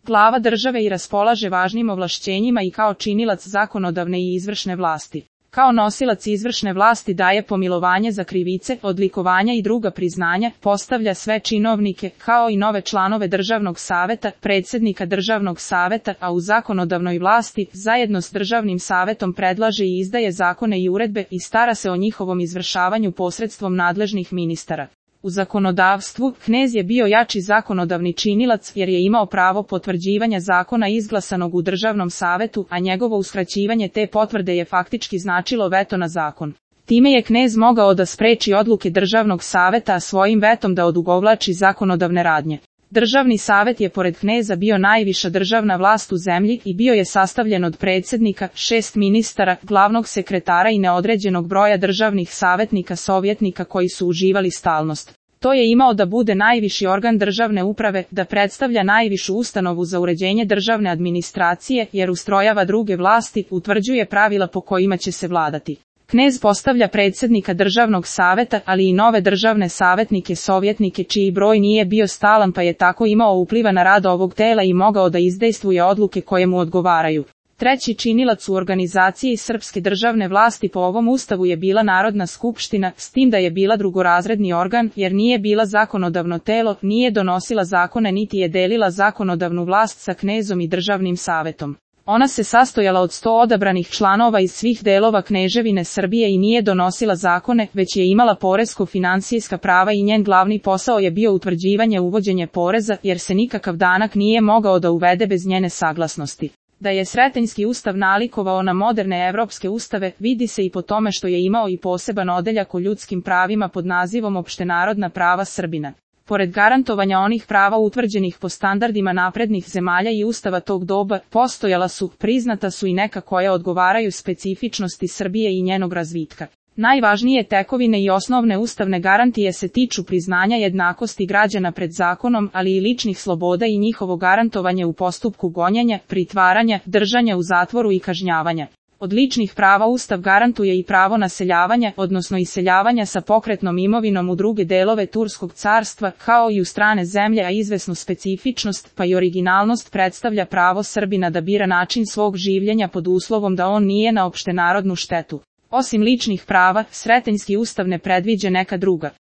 glava države i raspolaže važnim ovlašćenjima i kao činilac zakonodavne i izvršne vlasti. Kao nosilac izvršne vlasti daje pomilovanje za krivice, odlikovanja i druga priznanja, postavlja sve činovnike, kao i nove članove Državnog saveta, predsjednika Državnog saveta, a u zakonodavnoj vlasti, zajedno s Državnim savetom predlaže i izdaje zakone i uredbe i stara se o njihovom izvršavanju posredstvom nadležnih ministara. U zakonodavstvu, knez je bio jači zakonodavni činilac jer je imao pravo potvrđivanja zakona izglasanog u Državnom savetu, a njegovo uskraćivanje te potvrde je faktički značilo veto na zakon. Time je knez mogao da spreči odluke Državnog saveta, a svojim vetom da odugovlači zakonodavne radnje. Državni savet je pored kneza bio najviša državna vlast u zemlji i bio je sastavljen od predsjednika, 6 ministara, glavnog sekretara i neodređenog broja državnih savjetnika sovjetnika koji su uživali stalnost. To je imao da bude najviši organ državne uprave, da predstavlja najvišu ustanovu za uređenje državne administracije jer ustrojava druge vlasti, utvrđuje pravila po kojima će se vladati. Knez postavlja predsjednika Državnog saveta, ali i nove državne savjetnike sovjetnike čiji broj nije bio stalan pa je tako imao upliva na rad ovog tela i mogao da izdejstvuje odluke koje mu odgovaraju. Treći činilac u organizaciji srpske državne vlasti po ovom ustavu je bila Narodna skupština, s tim da je bila drugorazredni organ jer nije bila zakonodavno telo, nije donosila zakone niti je delila zakonodavnu vlast sa knezom i Državnim savetom. Ona se sastojala od 100 odabranih članova iz svih delova Kneževine Srbije i nije donosila zakone, već je imala poresko-financijska prava i njen glavni posao je bio utvrđivanje uvođenje poreza, jer se nikakav danak nije mogao da uvede bez njene saglasnosti. Da je Sretenjski ustav nalikovao na moderne evropske ustave, vidi se i po tome što je imao i poseban odeljak o ljudskim pravima pod nazivom Opštenarodna prava Srbina. Pored garantovanja onih prava utvrđenih po standardima naprednih zemalja i ustava tog doba, postojala su, priznata su i neka koja odgovaraju specifičnosti Srbije i njenog razvitka. Najvažnije tekovine i osnovne ustavne garantije se tiču priznanja jednakosti građana pred zakonom, ali i ličnih sloboda i njihovo garantovanje u postupku gonjenja, pritvaranja, držanja u zatvoru i kažnjavanja. Od ličnih prava Ustav garantuje i pravo naseljavanja, odnosno iseljavanja sa pokretnom imovinom u druge delove Turskog carstva, kao i u strane zemlje, a izvesnu specifičnost, pa i originalnost predstavlja pravo Srbina da bira način svog življenja pod uslovom da on nije na opštenarodnu štetu. Osim ličnih prava, Sretenjski ustav ne predviđa neka druga.